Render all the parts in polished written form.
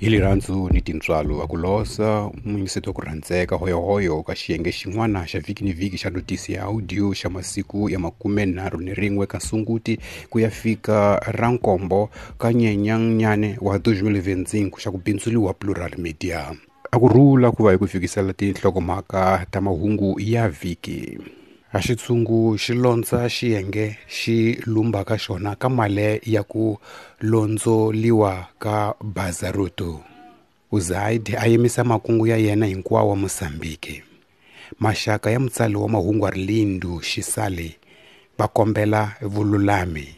Hi lirhandzu ni tintswalo a ku losa muyingiseti wa ku rhandzeka hoyohoyo ka xiyenge xin'wana xa vhiki ni vhiki xa notisi ya audio xa masiku ya 31 ka Sunguti ku ya fika ra nkombo ka Nyenyenyane wa 2025 xa ku bindzuliwa Plural Media. A ku rhula ku va hi ku fikisela tinhlokomhaka ta mahungu ya vhiki. A xitshungu xi londza xiyenge xi lumbaka xona ka male ya ku londzoliwa ka Bazaruto. USAID a yimisa makungu ya yena hinkwawo Mozambique. Maxaka ya mutsali wa mahungu Arlindo Chisale va kombela vululami.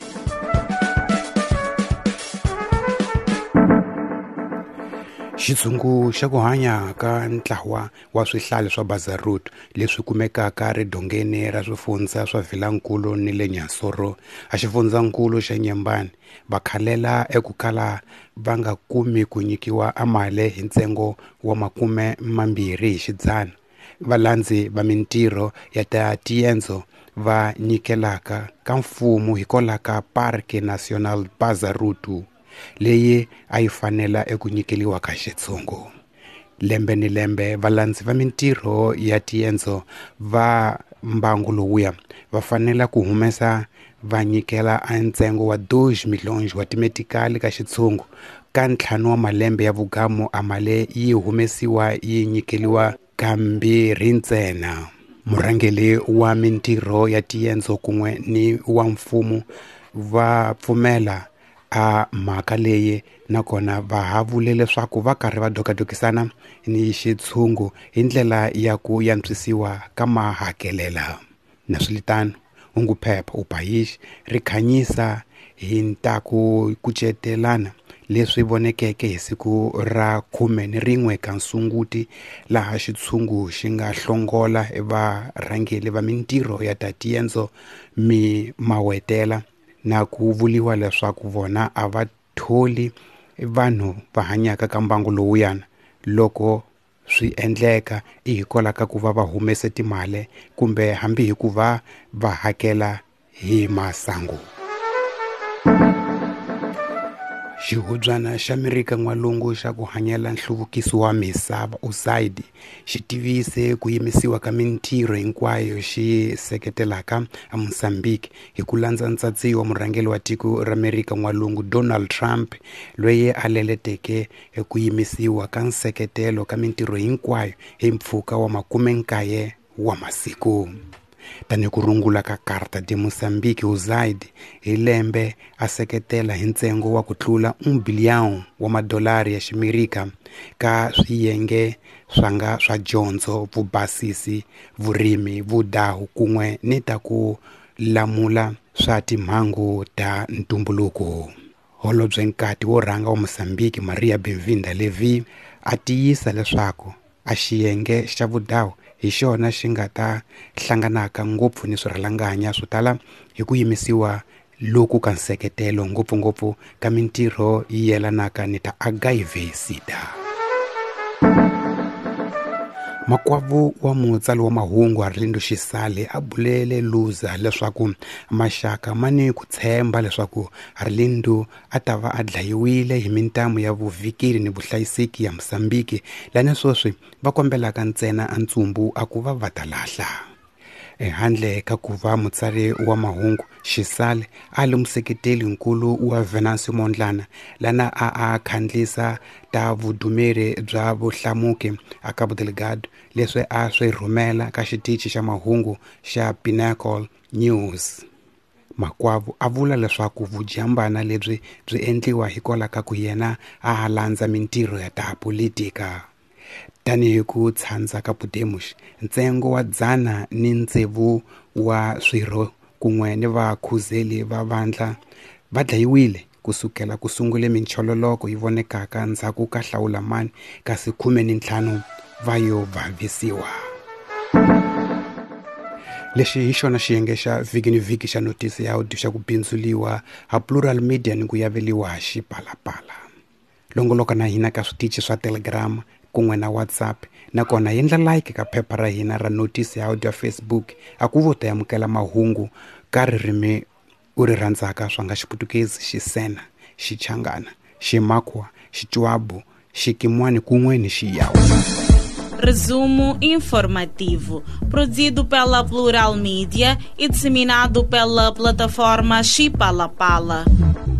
Xitshungu xa ku hanya ka ntlawa wa swihlale swa Bazaruto leswi kumekaka ridongeni ra swifundza swa Vilankulu ni le Nyansoro a xifundzankulu xa Nyembani va khalela eku kala va nga kumi ku nyikiwa amale hi ntsengo wa 20 hi xidzana. Valandzi va mintirho ya ta tiendzo va nyikelaka ka mfumo hikwalaho ka Parque Nacional Bazaruto leyi a yi fanela eku nyikeliwa ka xitshungu. Lembe ni lembe valandzi va mintirho ya tiendzo va mbangu lowuya va fanela ku humesa va nyikela a ntsengo wa 2 milhões wa timetikali ka xitshungu ka 5 wa malembe ya vugamu a male yi humesiwa yi nyikeliwa kambirhi ntsena. Murhangeri wa mintirho ya tiendzo kun'we ni wa mfumo va pfumela a mhaka leyi nakona va ha vule leswaku va karhi va dokadokisana ni xitshungu hi ndlela ya ku yantswisiwa ka mahakelela. Naswilitano, hunguphepha O País ri khanyisa hi ntaku kucetelana leswi vonekeke hi siku ra 11 ka Sunguti laha xitshungu xi nga hlongola varhangeri va mintirho ya ta tiendzo mi mawetela na ku vuliwa leswaku vona a va tholi vanhu va hanyaka ka mbangu lowuyana loko swi endleka i hikwalaho ka ku va va humese timali kumbe hambi hi ku va va hakela hi masangu. Xihubyana xa Amerika N'walungu xa ku hanyela nhluvukiso wa misava USAID xi tivise ku yimisiwa ka mintirho hinkwayo xi seketelaka Mozambique hi ku landza ntsatsiyo wa murhangeri wa tiko ra Amerika N'walungu Donald Trump loyi a leleteke ku yimisiwa ka nseketelo ka mintirho hinkwayo hi mpfhuka wa 90 wa masiku. Tanihi ku rungula ka Carta de Mozambique, USAID hi lembe a seketela hi ntsengo wa ku tlula 1 billion wa madolari ya ximerika ka swiyenge swa nga swa dyondzo, vubasisi, vurimi, vudahu kun'we ni ta ku lamula swa timhangu ta ntumbuluko. Holobye nkati wo rhanga wa Mozambique Maria Benvinda Levy a tiyisa leswaku a xiyenge xa vudahu hi xona xi nga ta hlanganaka ngopfu ni swirhalanganya swo tala hi ku yimisiwa loku ka nseketelo ngopfungopfu ka mintirho yi yelanaka ni ta HIV SIDA. Makwavo wa mutsali wa mahungu Arlindo Chisale a bulele Luza leswaku maxaka ma ni ku tshemba leswaku Arlindo a ta va a dlayiwile hi mintamu ya vuvhikeli ni vuhlayiseki ya Mozambique lani sweswi va kombelaka ntsena a ntsumbu a ku va va ta lahla. Ehandle ka ku va mutsari wa mahungu Chisale a li museketeli nkulu wa Venancio Mondlane lana a khandlisa ta vudumeri bya vuhlamuki a Cabo Delgado leswi a swi rhumela ka xitichi xa mahungu xa Pinnacle News. Makwavo a vula leswaku vujambana lebyi byi endliwa hikwalaho ka ku yena a landza mintirho ya ta politika. Tanihi ku tshandza ka Podemos, ntsengo wa 106 wa swirho kun'we ni vakhuzeli va vandla va dlayiwile kusukela ku sungule minchololoko yi vonekaka ndzhaku ka hlawulamani kasi 15 va yo vavisiwa. Lexi hi xona xiyenge xa vhiki ni vhiki xa notisi ya audio xa ku bindzuliwa ha Plural Media ni ku yaveliwa xipalapala. Longoloka na hina ka switichi swa Telegram kun'we na WhatsApp nakona endla like ka phepha ra hina ra notisi ya audio ya Facebook a ku vo ta amukela mahungu ka ririmi u ri rhandzaka swa nga Xiputukezi, Xisena, Xichangana, Ximakwa, Xichwabu, Xikimwani kun'we ni Xiyawu. Resumo informativo, produzido pela Plural Mídia e disseminado pela plataforma Chipalapala. Pala.